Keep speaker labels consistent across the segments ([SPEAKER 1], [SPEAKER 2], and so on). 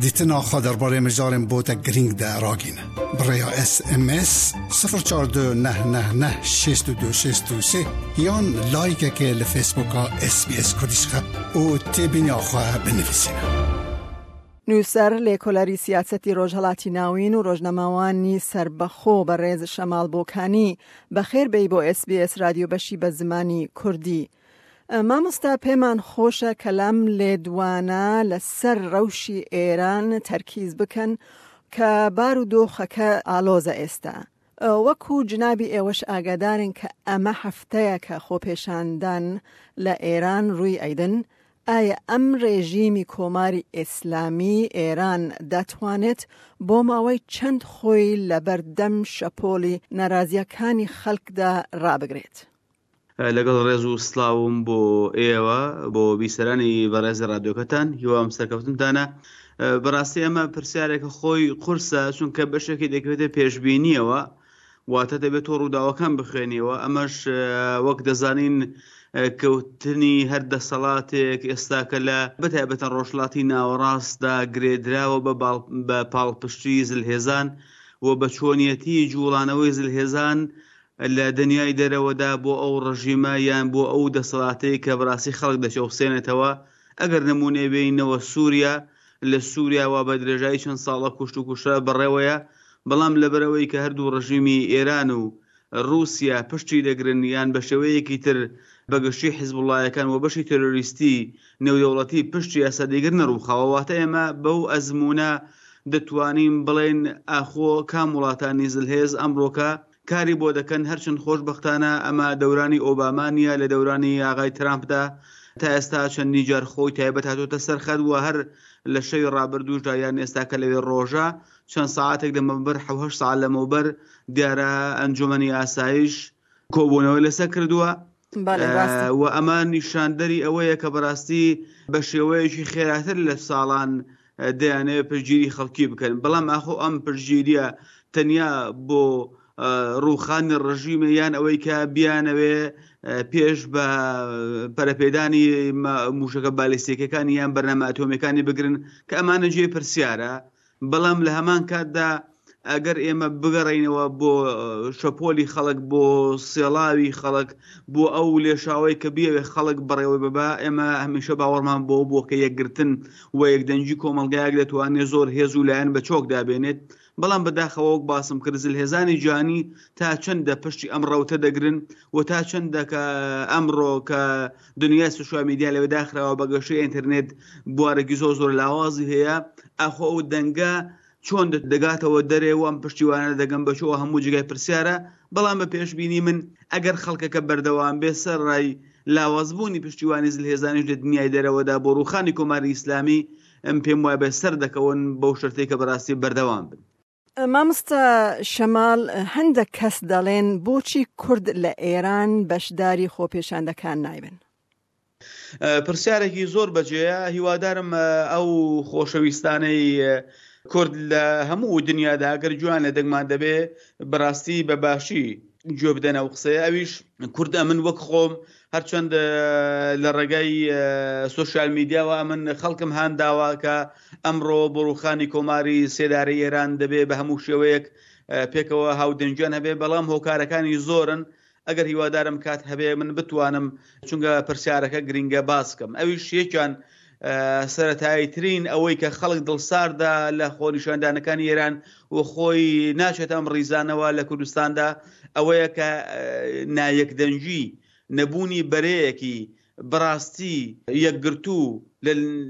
[SPEAKER 1] Dîtina xwe derbarê mijarên bo te girîng de ragîne. Bi rêya SMS 042 999 62 63 yan laykekê li Facebooka SBS Kurdî xixe û têbîniya xwe binivîsîne.
[SPEAKER 2] نووسەر، لێکۆلەری سیاسەتی ڕۆژهەڵاتی ناوین و ڕۆژنامەوانی سەربەخۆ بەڕێز شەماڵ بۆکانی، بەخێر بێی بۆ ئێس بی ئێس رادیۆ بەشی بە زمانی کوردی. مامۆستا پێمان خۆشە کە لەم لێدوانە لە سەر ڕەوشی ئێران تەرکیز بکەن کە بار و دۆخەکە ئالۆزە ئێستا. وەکو جنابی ئێوەش ئاگادارن کە ئەمە هەفتەیەکە خۆپێشاندان لە ئێران ڕووی ئەیدن، ئایا ئەم ڕێژیمی کۆماری ئیسلامی ئێران دەتوانێت بۆ ماوەی چەند خۆی لەبەر دەم شەپۆلی نارازییەکانی خەلکدا ڕابگرێت؟
[SPEAKER 3] لەگەڵ ڕێز و سڵاوم بۆ ئێوە بۆ بیسەرانی بەڕێزی ڕادیۆکەتان هیوام سەرکەوتنتانە بەڕاستی ئەمە پرسیارێکە خۆی قورسە چونکە بەشێکی دەکەوێتە پێشبینیەوە واتە دەبێت تۆ ڕووداوەکان بخوێنیەوە ئەمەش وەک دەزانین کەوتنی هەر دەسەڵاتێک ئێستاکە لە بەتایبەتە ڕۆژهەڵاتی ناوەڕاستدا گرێدراوە بە پاڵپشتی زلهێزان و بە چۆنیەتی جوڵانەوەی زلهێزان لە دنیای دەرەوەدا بۆ ئەو ڕژیمە یان بۆ ئەو دەسەڵاتەی کە بەڕاستی خەڵک دەچەوسێنێتەوە، ئەگەر نموونەی بێنینەوە سووریا، لە سووریا وا بە درێژایی چەند ساڵە کوشت و کوشتار بەڕێوەیە، بەڵام لەبەرئەوەی کە هەردوو ڕژیمی ئێران و ڕووسیا پشتی دەگرن یان بە شێوەیەکی تر بە گشتی حیزبوڵڵایەکان و بەشی تێرۆریستی نێودەوڵەتی پشتی ئەسەدی نەڕووخاوە واتە ئێمە بەو ئەزموونە دەتوانین بڵێین ئاخۆ کام وڵاتانی زلهێز ئەمڕۆکە کاری بۆ دەکەن هەرچەند خۆشبەختانە ئەمە دەورانی ئۆباما نییە لە دەورانی ئاغای ترامپدا تا ئێستا چەندین جار خۆی تایبەت هاتۆتە سەر خەت و هەر لە شەوی ڕابردووشدا یان ئێستا کە لەوێ ڕۆژە چەند سەعاتێک لەمەوبەر حەوهەشت سەعات لەمەوبەر دیارە ئەنجومەنی ئاسایش کۆبوونەوەی لەسەر کردووە و ئەمە نیشاندەری ئەوەیە کە بەڕاستی بە شێوەیەکی خێراتر لە ساڵان دەیانەوێت پشتگیری خەڵکی بکەن بەڵام ئاخۆ ئەم پشتگیریە تەنیا بۆ ڕووخانی ڕژیمە یان ئەوەی کە بیانەوێ پێش بە پەرەپێدانی موشەکە بالیستیکەکانی یان بەرنامە ئەتۆمیەکانی بگرن کە ئەمانە جێ پرسیارە بەڵام لە هەمان کاتدا ئەگەر ئێمە بگەڕێینەوە بۆ شەپۆلی خەڵک بۆ سێڵاوی خەڵک بۆ ئەو لێشاوەی کە بیەوێ خەڵک بەڕێوەی ببا ئێمە هەمیشە باوەڕمان بۆ بووە کە یەکگرتن و یەکدەنگی کۆمەڵگایەک دەتوانێت زۆر هێز و لایەن بە چۆک دابێنێت بەڵام بەداخەوە وەک باسم کرد زلهێزانی جیهانی تا چەندە پشتی ئەم ڕەوتە دەگرن و تا چەندە کە ئەمڕۆ کە دنیای سوشیال میدیا لەوێ داخراوە بە گەشەی ئینتەرنێت بوارێکی زۆر زۆر لاوازی هەیە ئاخۆ ئەو دەنگە چۆن دەگاتەوە دەرێ و ئەم پشتیوانە دەگەن بە چۆ هەموو جێگای پرسیارە بەڵام بە پێشبینی من ئەگەر خەڵکەکە بەردەوام بێ سەرڕای لاوازبوونی پشتیوانی زلهێزانیش لە دنیای دەرەوەدا بۆ ڕووخانی کۆماری ئیسلامی ئەم پێم وایە سەر دەکەون بەو شەرتەی کە بەڕاستی بەردەوام بن.
[SPEAKER 2] مامۆستا شەماڵ هەندەک کەس دەڵێن بۆچی کورد لە ئێران بەشداری خۆپێشاندەکان نایبن؟
[SPEAKER 3] پرسیارێکی زۆر بەجێیە هیوادارم ئەو خۆشەویستانەی کورد لە هەموو دنیادا گەر گوێیان لە دەنگمان دەبێ بەڕاستی بە باشی گوێ بدەن ئەو قسەیە ئەویش کورد ئەمن وەک خۆم هەرچەند لە ڕێگای سوسیال میدیاوە ئەمن خەڵکم هان داوە کە ئەمڕۆ بۆ ڕوخانی کۆماری سێدارەی ئێران دەبێ بە هەموو شێوەیەک پێکەوە هاودەنگیان هەبێ بەڵام هۆکارەکانی زۆرن ئەگەر هیوادارم کات هەبێ من بتوانم چونکە پرسیارەکە گرینگە باس کەم ئەویش یەکیان سەتایی ترین ئەوەی کە خەڵک دڵساردە لە خۆنیشاندانەکانی ئێران و خۆی ناچێت ئەم ڕیزانەوە لە کوردستاندا ئەوەیە کە نایەکدەنگی نەبوونی بەرەیەکی بەڕاستی یەکگرتوو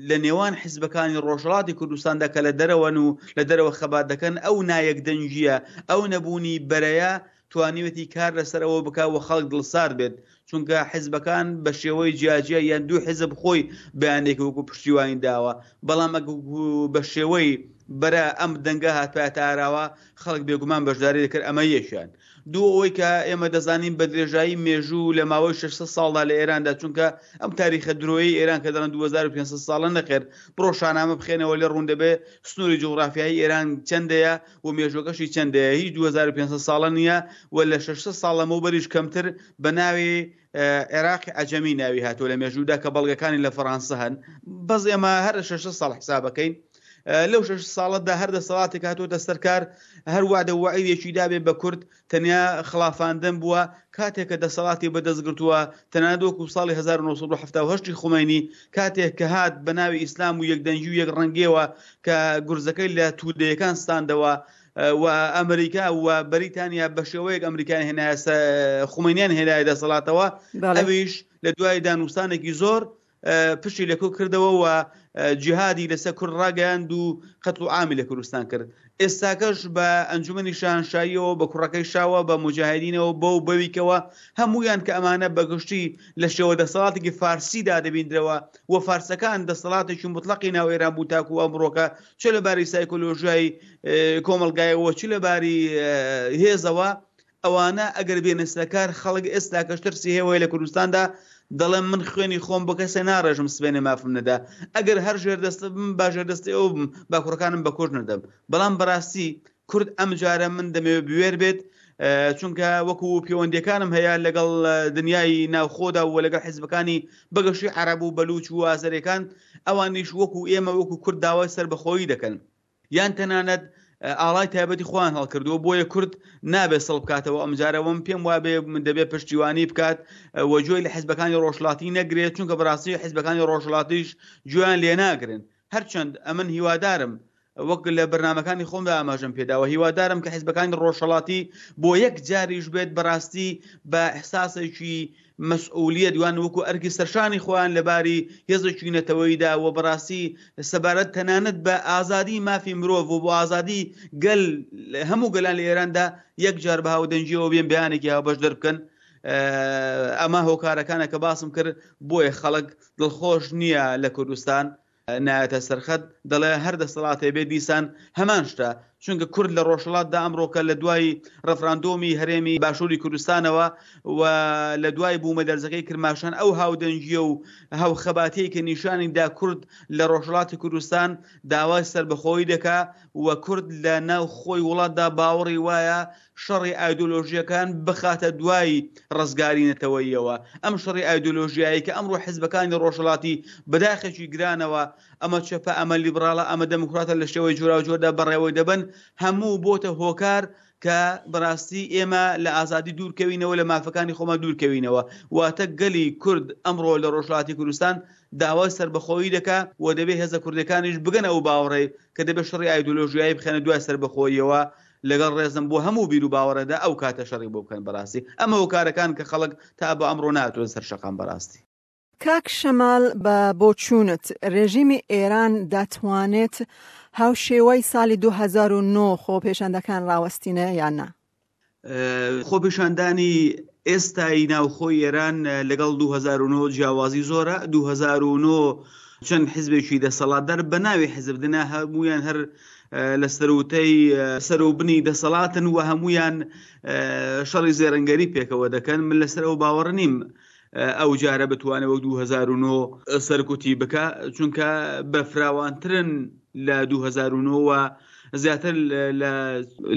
[SPEAKER 3] لە نێوان حیزبەکانی ڕۆژهەڵاتی کوردستاندا کە لە دەرەوەن و لە دەرەوە خەبات دەکەن، ئەو نایەکدەنگییە، ئەو نەبوونی بەرەیە توانیوێتی کار لەسەر ئەوە بکا و خەڵک دڵسارد بێت، چونکە حیزبەکان بە شێوەی جیاجیا یان دوو حیزب خۆی بەیانێکی وەکوو پشتیوانی داوە، بەڵام ئەگەر بە شێوەی بەرە ئەم دەنگە هاتبایەتە ئاراوە خەڵک بێگومان بەشداری دەکرد، ئەمە یەکیان. دوو ئەوەی کە ئێمە دەزانین بە درێژایی مێژوو لە ماوەی 600 ساڵدا لە ئێراندا چونکە ئەم تاریخە درۆیەی ئێران کە دەڵێن 2500 ساڵە نەخێر بڕۆ شانامە بخێنەوە لێ ڕوون دەبێ سنووری جوغرافیایی ئێران چەندەیە و مێژوەکەشی چەندەیە هیچ 2500 ساڵە نییە و لە 600 ساڵ لەمەوبەریش کەمتر بە ناوی عێراقی عەجەمی ناوی هاتووە لە مێژوودا کە بەڵگەکانی لە فەڕانسە هەن بەس ئێمە هەر 600 ساڵ حسابەکەین. لەو شەش ساڵەدا هەر دەسەڵاتێک هاتووەتە سەر کار هەر وادە و وەعیدێکی دابێ بە کورد تەنیا خڵافاندن بووە، کاتێک کە دەسەڵاتی بەدەست گرتووە تەنانەت وەکوو ساڵی 1978 ی خومەینی کاتێک کە هات بە ناوی ئیسلام و یەکدەنگی و یەکڕەنگیەوە کە گورزەکەی لە توودەیەکان ستاندەوە و ئەمریکا و بەریتانیا بە شێوەیەک ئەمریکایان هێنایە خومەینیان هێنایە دەسەڵاتەوە ئەویش لە دوای دانوستانێکی زۆر پشتی لە کورد کردەوە و جیهادی لەسەر کورد ڕاگەیاند و قەتڵ و عامی لە کوردستان کرد. ئێستاکەش بە ئەنجومەنی شاهنشاییەوە، بە کوڕەکەی شاوە، بە موجاهیدینەوە، بەو بەویکەوە، هەموویان کە ئەمانە بە گشتی لە شێوە دەسەڵاتێکی فارسیدا دەبیندرەوە و فارسەکان دەسەڵاتێکی موتڵەقی ناو ئێران بوو تاکوو ئەمڕۆکە چ لە باری سایکۆلۆژیای کۆمەڵگایەوە چ لە باری هێزەوە ئەوانە ئەگەر بێنە سەرکار خەڵک ئێستاکەش ترسی هەیە وەی لە کوردستاندا دەڵێم من خوێنی خۆم بۆ کەسێ ناڕێژم سبەینێ مافم نەدا ئەگەر هەر ژێردەستە بم با ژێردەستی ئەو بم با کوڕەکانم بە کوشت نەدەم بەڵام بەڕاستی کورد ئەم جارە من دەمەوێت بوێر بێت چونکە وەکو پەیوەندیەکانم هەیە لەگەڵ دنیای ناوخۆدا و لەگەڵ حیزبەکانی بەگەشی عەرەب و بەلوچ و ئازەرەکان ئەوانیش وەکو ئێمە وەکو کورد داوای سەربەخۆیی دەکەن یان تەنانەت ئاڵای تایبەتی خۆیان هەڵکردووە بۆیە کورد نابێت سڵ بکاتەوە ئەمجارە وم پێم وابێ من دەبێت پشتیوانی بکات و گوێی لە حزبەکانی ڕۆژهەڵاتی نەگرێت چونکە بەڕاستی حزبەکانی ڕۆژهەڵاتیش گوێیان لێ ناگرن هەرچەند ئەمن هیوادارم وەک لە بەرنمەکانی خۆمدا ئاماژەم پێداوە هیوادارم کە حزبەکانی ڕۆژهەڵاتی بۆ یەک جاریش بێت بەڕاستی بە ئیحساسێکی مەسئولیەت یان وەکو ئەرکی سەرشانی خۆیان لە باری هێزێکی نەتەوەییدا و بەڕاستی سەبارەت تەنانەت بە ئازادی مافی مرۆڤ و بۆ ئازادی گەل هەموو گەلان لە ئێراندا یەک جار بە هاودەنگیەوە بێن بەیانێکی هاوبەش دەربکەن ئەمە هۆکارەکانە کە باسم کرد بۆیە خەڵک دڵخۆش نییە لە کوردستان نایەتە سەرخەت دەڵێ هەر دەسەڵاتێ بێت دیسان هەمان شتە چونکە کورد لە ڕۆژهەڵاتدا ئەمڕۆکە لە دوای ڕفراندۆمی هەرێمی باشووری کوردستانەوە و لە دوای بوومەلەرزەکەی کرماشان ئەو هاودەنگیە و هاوخەباتیەی کە نیشانی دا کورد لە ڕۆژهەڵاتی کوردستان داوای سەربەخۆیی دەکا و کورد لە ناو خۆی وڵاتدا باوەڕی وایە شەڕی ئایدۆلۆژییەکان بخاتە دوای ڕزگاری نەتەوەییەوە. ئەم شەڕی ئایدۆلۆژیایەی کە ئەمڕۆ حزبەکانی ڕۆژهەڵاتی بە داخێکی گرانەوە ئەمە چەپە، ئەمە لیبڕاڵە، ئەمە دێموکراتە لە شێوەی جۆراوجۆردا بەڕێوەی دەبەن، هەموو بۆتە هۆکار کە بەڕاستی ئێمە لە ئازادی دوور کەوینەوە، لە مافەکانی خۆمان دوور کەوینەوە. واتە گەلی کورد ئەمڕۆ لە ڕۆژهەڵاتی کوردستان داوای سەربەخۆیی دەکا و دەبێ هێزە کوردییەکانیش بگەنە ئەو باوەڕەی کە دەبێ شەڕی ئایدۆلۆژیایی بخەنە دوای سەربەخۆییەوە لەگەڵ ڕێزم بۆ هەموو بیرو باوەڕێدا ئەو کاتە شەڕی بۆ بکەن بەڕاستی ئەمە هۆکارەکان کە خەڵک تا بە ئەمڕۆ نەهاتووە سەر شەقام بەڕاستی.
[SPEAKER 2] کاک شەمال بە بۆچوونت رێژیمی ئێران دەتوانێت هاوشێوەی سالی 2009 خۆپێشاندەکان ڕاوەستینێ یان نا؟
[SPEAKER 3] خۆپیشاندانی ئێستای ناوخۆی ئێران لەگەڵ 2009 جیاوازی زۆرە 2009 چەند حزبێکی دەسەڵاتدار بە ناوی حزب دنا هەمویان هەر لە سەروتەی سەروبنی دەسەڵاتن و هەمویان شەڕی زێرنگەری پێکەوە دەکەن من لەسەر ئەو باوەڕ نیم ئەو جارە بتوانێت وەک 2009 سەرکوتی بکە چونکە بەفراوانترن لە 2009 زیاتر لە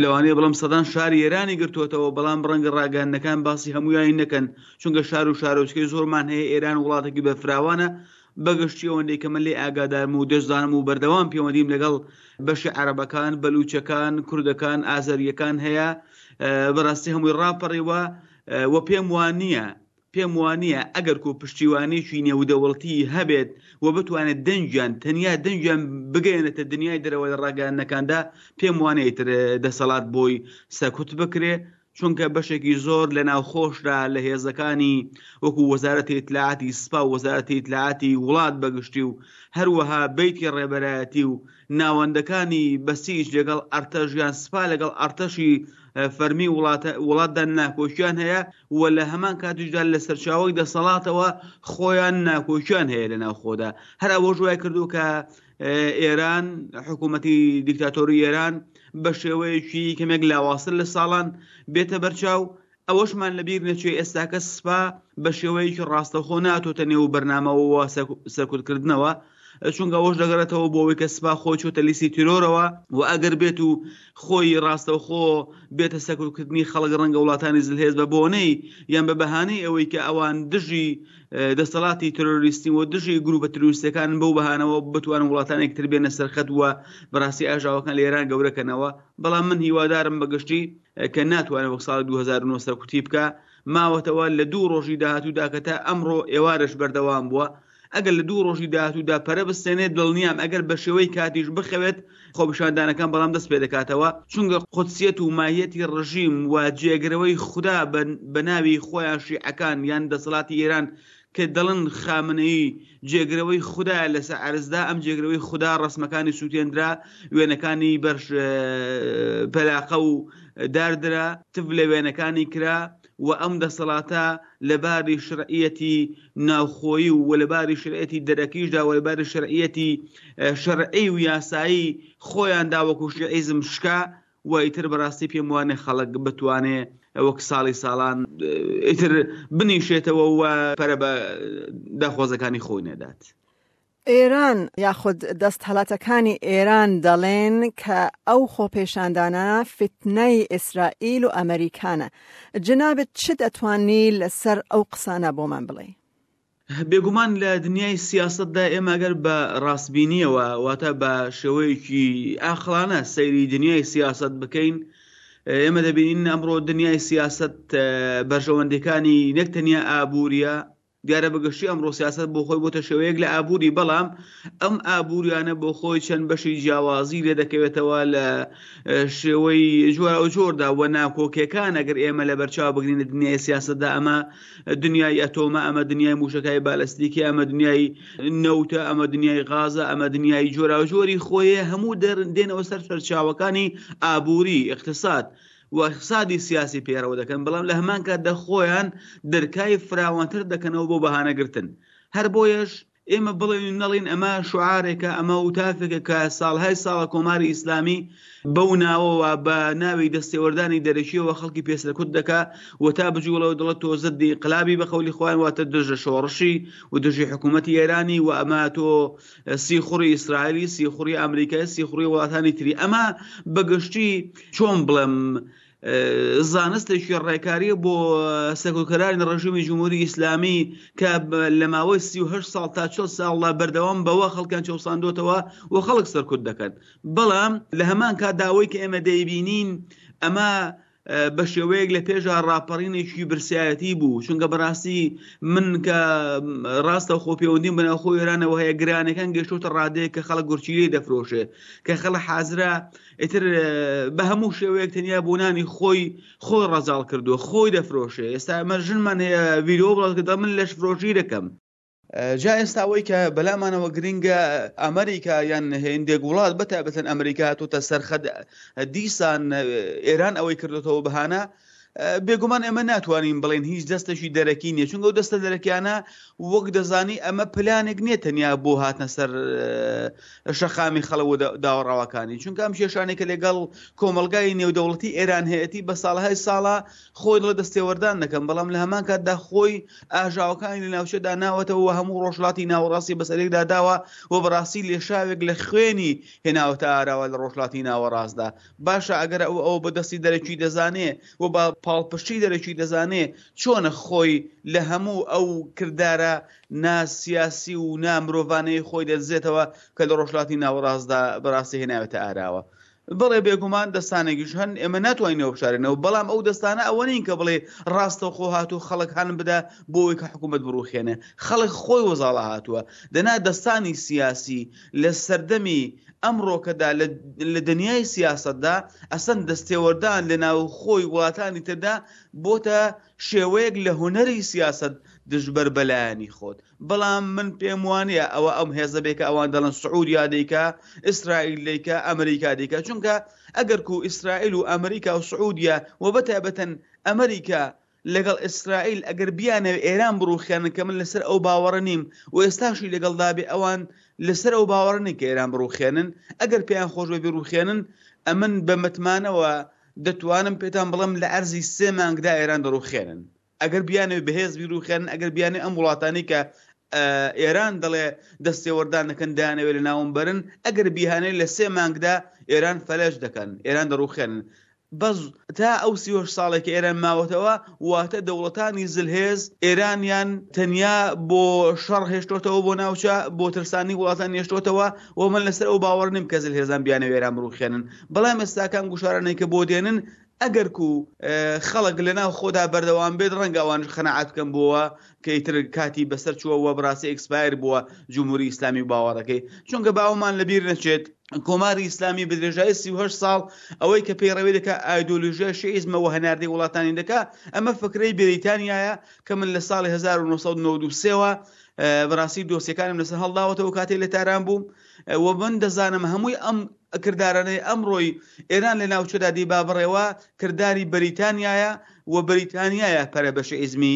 [SPEAKER 3] لەوانەیە بڵم سەدان شاری ئێرانی گرتووەتەوە بەڵام ڕەنگە ڕاگەیاندنەکان باسی هەموویانی نەکەن چونکە شار و شارۆچکەی زۆرمان هەیە ئێران وڵاتێکی بەفراوانە بەگشتی ئەوەندەی کە من لێ ئاگادارم و دەشزانم و بەردەوام پەیوەندیم لەگەڵ بەشی عەرەبەکان بەلوچەکان کوردەکان ئازەریەکان هەیە بەڕاستی هەمووی ڕاپەڕیوە و پێم وانییە پێم وانییە ئەگەر کۆ پشتیوانیی نێودەوڵتی هەبێت و بتوانێت دەنگیان، تەنیا دەنگیان بگەیەنێتە دنیای دەرەوە لە ڕاگەیاندنەکاندا، پێم وانییە ئیتر دەسەڵات بۆی سەرکوت بکرێ، چونکە بەشێکی زۆر لە ناوخۆشدا لە هێزەکانی وەکو وەزارەتی ئیتلاعاتی سپا و وەزارەتی ئیتلاعاتی وڵات بە گشتی و هەروەها بەیتی ڕێبەرایەتی و ناوەندەکانی بەسیج لەگەڵ ئەرتەش یان سپا لەگەڵ ئەرتەشی فەرمی وڵاتە وڵاتدا ناکۆکیان هەیە و لە هەمان کاتیشدا لە سەرچاوەی دەسەڵاتەوە خۆیان ناکۆکیان هەیە لە ناوخۆدا هەر ئەوەش وای کردو کە ئێران حکوومەتی دیکتاتۆری ئێران بە شێوەیەکی کەمێک لاوازتر لە ساڵان بێتە بەرچاو ئەوەشمان لەبیر نەچێ ئێستاکە سپا بە شێوەیەکی ڕاستەوخۆ ناتۆتە نێو بەرنامەوە سەرکوتکردنەوە. چونکە ئەوەش دەگەڕێتەوە بۆ ئەوەی کە سپا خۆی چۆتە لیستی تیرۆرەوە و ئەگەر بێت و خۆی ڕاستەوخۆ بێتە سەرکوتکردنی خەڵک ڕەنگە وڵاتانی زلهێز بە بۆنەی یان بە بەهانەی ئەوەی کە ئەوان دژی دەسەڵاتی ترۆریستی و دژی گروپە ترۆریستەکان بەو بەهانەوە بتوانن وڵاتانێک تر بێنە سەرخەت و بەڕاستی ئاژاوەکان لە ئێران گەورەکەنەوە بەڵام من هیوادارم بەگشتی کە ناتوانێت وەک ساڵی 2009 سەرکوتی بکە ماوەتەوە لە دوو ڕۆژی داهاتوودا کە تا ئەمڕۆ ئێوارەش بەردەوام بووە ئەگەر لە دوو ڕۆژی داهاتوودا پەرە بستێنێت دڵنیام ئەگەر بە شێوەی کاتیش بخەوێت خۆپیشاندانەکان بەڵام دەست پێ دەکاتەوە چونکە قودسیەت و ماهیەتی ڕژیم و جێگرەوەی خودا بە ناوی خۆیان شیعەکان یان دەسەڵاتی ئێران کە دەڵن خامنەیی جێگرەوەی خودایە لەسەر عەرزدا ئەم جێگرەوەی خودا ڕەسمەکانی سووتێندرا وێنەکانی بەر پەلاقە و داردرا تف لە وێنەکانی کرا و ئەم دەسەڵاتە لە باری شرعیەتی ناوخۆیی و لە باری شرعیەتی دەرەکیشدا و لە باری شرعیەتی شەرعی و یاسایی خۆیاندا وەکو شیعیزم شکا و ئیتر بەڕاستی پێم وانێ خەڵک بتوانێ وەک ساڵی ساڵان ئیتر بنیشێتەوە و پەرە بە داخوازەکانی خۆی نەدات.
[SPEAKER 2] ئێران یاخود دەستهەڵاتەکانی ئێران دەڵێن کە ئەو خۆپێشاندانە فیتنەی ئیسرائیل و ئەمەریکانە. جەنابت چ دەتوانی لەسەر ئەو قسانە بۆمان بڵێی؟
[SPEAKER 3] بێگومان لە دنیای سیاسەتدا ئێمە گەر بە ڕاستبینیەوە واتە بە شێوەیەکی ئاقڵانە سەیری دنیای سیاسەت بکەین ئێمە دەبینین ئەمڕۆ دنیای سیاسەت بەرژەوەندیەکانی نەک تەنیا ئابووریە دیارە بەگشتی ئەمڕۆ سیاسەت بۆ خۆی بۆتە شێوەیەک لە ئابووری بەڵام ئەم ئابووریانە بۆ خۆی چەند بەشی جیاوازی لێ دەکەوێتەوە لە شێوەی جۆراوجۆردا و ناکۆکیەکان ئەگەر ئێمە لە بەرچاو بگرین لە دنیای سیاسەتدا ئەمە دنیای ئەتۆمە ئەمە دنیای موشەکای بالستیکی ئەمە دنیای نەوتە ئەمە دنیای غازە ئەمە دنیای جۆراوجۆری خۆیە هەموو دێنەوە سەر سەرچاوەکانی ئابووری اقتصاد و اقتصادی سیاسی پەیڕەو دەکەن بەڵام لە هەمان کاتدا خۆیان دەرکای فراوانتر دەکەنەوە بۆ بەهانەگرتن هەر بۆیەش ئێمە بڵێین و نەڵێین ئەمە شوعارێکە، ئەمە وتافێکە کە ساڵهای ساڵە کۆماری ئیسلامی بەو ناوەوە بە ناوی دەستێوەردانی دەرەکییەوە خەڵکی پێ سەرکوت دەکا و تا بجوڵێ و دەڵێت تۆ زدی ئینقلابی بە قەولی خۆیان واتە دژە شۆڕشی و دژی حکوومەتی ئێرانی و ئەمە تۆ سیخوڕی ئیسرائیلی، سیخوڕی ئەمریکای، سیخوڕی وڵاتانی تری. ئەمە بە گشتی چۆن بڵێم زانستێکی ڕێکاریە بۆ سەرکوتکەرانی ڕژیمی جمهوری ئیسلامی کە لە ماوەی 38 ساڵ تا 40 ساڵدا بەردەوام بەوە خەڵکیان چەوساندۆتەوە و خەڵک سەرکوت دەکەن بەڵام لە هەمان کاتدا ئەوەی کە ئێمە دەیبینین ئەمە بە شێوەیەک لە پێشا ڕاپەڕینێکی برسایەتی بوو چونکە بەڕاستی من کە ڕاستە خۆ پەیوەندیم بەناوخۆ ئێرانەوە هەیە گرانەکان گەشتۆتە ڕادەیە کە خەڵک گورچیلەی دەفرۆشێ کە خەڵک حازرە ئیتر بە هەموو شێوەیەک تەنیا بۆ نانی خۆی خۆی ڕەزاڵ کردووە خۆی دەفرۆشێ ئێستا ئەمە ژنمان هەیە ڤیدیۆ بڵاو کردەوە من لەش فرۆشی دەکەم جا ئێستا ئەوەی کە بەلامانەوە گرنگە ئەمریکا یان هێندێک وڵات بەتایبەتەن ئەمریکا هاتووتە سەرخەت دیسان ئێران ئەوەی کردوتەوە بەهانە بێگومان ئێمە ناتوانین بڵێن هیچ دەستێکی دەرەکی نییە چونکە ئەو دەستە دەرەکیانە وەک دەزانی ئەمە پلانێک نییە تەنیا بۆ هاتنە سەر شەقامی خەڵک و داوەڕاوەکانی چونکە ئەم کێشانێک کە لەگەڵ کۆمەڵگای نێودەوڵەتی ئێران هەیەتی بە ساڵهای ساڵە خۆی دڵە دەستێوەردان دەکەم بەڵام لە هەمان کاتدا خۆی ئاژاوەکانی لە ناوچەدا ناوەتەوە و هەموو ڕۆژهەڵاتی ناوەڕاستی بەسەرێکدا داوە و بەڕاستی لێشاوێک لە خوێنی هێناوەتە ئاراوە لە ڕۆژهەڵاتی ناوەڕاستدا باشە ئەگەر ئەو ئەوە بە دەستی دەرەکی دەزانێ و بە پاڵپشتی دەرەکی دەزانێ چۆنە خۆی لە هەموو ئەو کردارە نا سیاسی و نا مرۆڤانەی خۆی دەدزێتەوە کە لە ڕۆژهەڵاتی ناوەڕاستدا بەڕاستی هێناوێتە ئاراوە؟ بەڵێ بێگومان دەستانێکیش هەن ئێمە ناتوانین ئەوە بشارینەوە بەڵام ئەو دەستانە ئەوە نین کە بڵێ ڕاستەوخۆ هاتوو خەڵک هان بدە بۆ ئەوەی کە حکوومەت بڕوخێنێ خەڵک خۆی وەزاڵە هاتووە دەنا دەستانی سیاسی لە سەردەمی ئەمڕۆکەدا لە دنیای سیاسەتدا ئەسەن دەستێوەردان لە ناوخۆی وڵاتانی تردا بۆتە شێوەیەک لە هونەری سیاسەت دژبەر بە لایەنی خۆت بەڵام من پێم وانیە ئەوە ئەم هێزە بێ کە ئەوان دەڵێن سعودیا دەیکا ئیسرائیل دەیکا ئەمریکا دەیکا چونکە ئەگەر کو ئیسرائیل و ئەمریکا و سعودیا و بەتایبەتەن ئەمریکا لەگەڵ ئیسرائیل ئەگەر بیانەوێ ئێران بڕوخێنن کە من لەسەر ئەو باوەڕە نیم و ئێستاشی لەگەڵدا بێ ئەوان لەسەر ئەو باوەڕە نین کە ئێران بڕوخێنن ئەگەر پێیان خۆش بێ بیڕوخێنن ئەمن بە متمانەوە دەتوانم پێتان بڵێم لە عەرزی سێ مانگدا ئێران دەڕوخێنن ئەگەر بیانەوێ بەهێز بیڕوخێنن ئەگەر بیانەوێ ئەم وڵاتانەی کە. ئێران دەڵێ دەستێوەردان دەکەن دەیانەوێ لە ناوم بەرن، ئەگەر بیهانەوێ لە سێ مانگدا ئێران فەلەج دەکەن، ئێران دەڕوخێنن. بەس تا ئەو 38 ساڵێک کە ئێران ماوەتەوە، واتە دەوڵەتانی زلهێز ئێرانیان تەنیا بۆ شەڕ هێشتۆتەوە بۆ ناوچە، بۆ ترساندنی وڵاتان هێشتۆتەوە و من لەسەر ئەو باوەڕ نیم کە زلهێزان بیانەوێ ئێران بڕوخێنن. بەڵام ئێستاکە ئەم گوشارانەی کە بۆ دێنن ئەگەرکو خەڵک لە ناو خۆدا بەردەوام بێت ڕەنگە ئەوانش قەناعەت بکەن بۆوە کە ئیتر کاتی بەسەر چووە و بەڕاستی ئێکسپایر بووە جمهوری ئیسلامی و باوەڕەکەی چونکە باوەمان لەبیر نەچێت کۆماری ئیسلامی بە درێژایی 38 ساڵ ئەوەی کە پەیڕەوی دەکا ئایدۆلۆژیای شیعیزمە و هەناردەی وڵاتانی دەکا ئەمە فکرەی بریتانیایە کە من لە ساڵی 1993ەوە بەڕاستی دۆسیەکانم لەسەر هەڵداوەتەوە کاتێک لە تاران بووم و من دەزانم هەمووی ئەم کردارانەی ئەمڕۆی ئێران لە ناوچەدا دیبا بڕێوە کرداری بەریتانیایە و بەریتانیایە پەرە بە شیعیزمی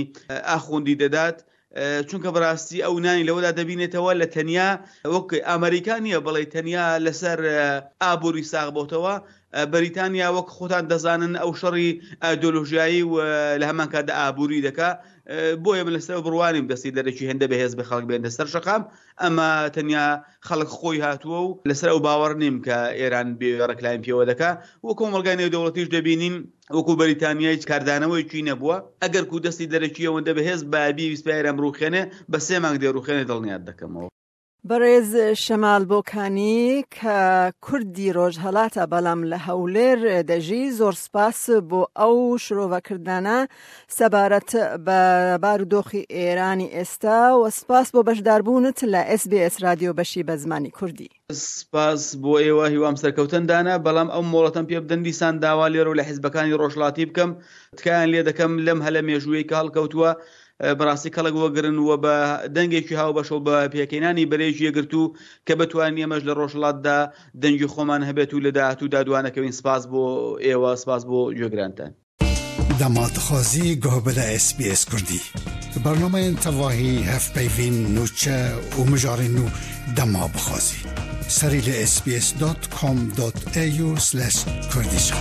[SPEAKER 3] ئاخوندی دەدات چونکە بەڕاستی ئەو نانی لەوەدا دەبینێتەوە لە تەنیا وەک ئەمریکا نییە بڵێ تەنیا لەسەر ئابووری ساغ بۆتەوە بەریتانیا وەک خۆتان دەزانن ئەو شەڕی ئایدۆلۆژیایی و لە هەمان کاتدا ئابووری دەکا بۆیە من لەسەر بڕوانیم دەستی دەرەکی هێندە بەهێز بە خەڵک بێنە سەر شەقام ئەمە تەنیا خەڵک خۆی هاتووە و لەسەر ئەو باوەڕ نیم کە ئێران بێ ڕێکلایم پێوە دەکا و کۆمەڵگای نێودەوڵەتیش دەبینین وەکو بەریتانیا هیچ کاردانەوەیەکی نەبووە ئەگەر کو دەستی دەرەکی ئەوەندە بەهێز بایە بیویستبا ئێران بڕوخێنێ بە سێ مانگ دەیڕوخێنێ دڵنیات دەکەمەوە.
[SPEAKER 2] بەڕێز شەمال بۆکانی کە کوردی ڕۆژهەڵاتە بەڵام لە هەولێر دەژی زۆر سپاس بۆ ئەو شرۆڤەکردنانە سەبارەت بە بارودۆخی ئێرانی ئێستا و سپاس بۆ بەشداربوونت لە ئێس بی ئێس رادیۆ بەشی بە زمانی کوردی.
[SPEAKER 3] سپاس بۆ ئێوە هیوام سەرکەوتن دانە بەڵام ئەو مۆڵەتەم پێ بدەن دیسان داوا لێرەوە لە حیزبەکانی ڕۆژهەڵاتی بکەم تکایان لێ دەکەم لەم هەلە مێژوویەی کە هەڵکەوتووە بەڕاستی کەڵک وەگرن و بە دەنگێکی هاوبەش و بە پێکهێنانی بەرەیەکی یەکگرتوو کە بتوانین ئێمەش لە ڕۆژهەڵاتدا دەنگی خۆمان هەبێت و لە داهاتوودا دوانەکەوین سپاس بۆ ئێوە سپاس بۆ گوێگرانتان.
[SPEAKER 1] دەما دخوازی گوه بده اس بی اس کوردی. برنامەیên تەواهی هەڤپەیڤین، نوچە و مژارên nû dema bixwazî. Serî li sbs.com.au/kurdî şe.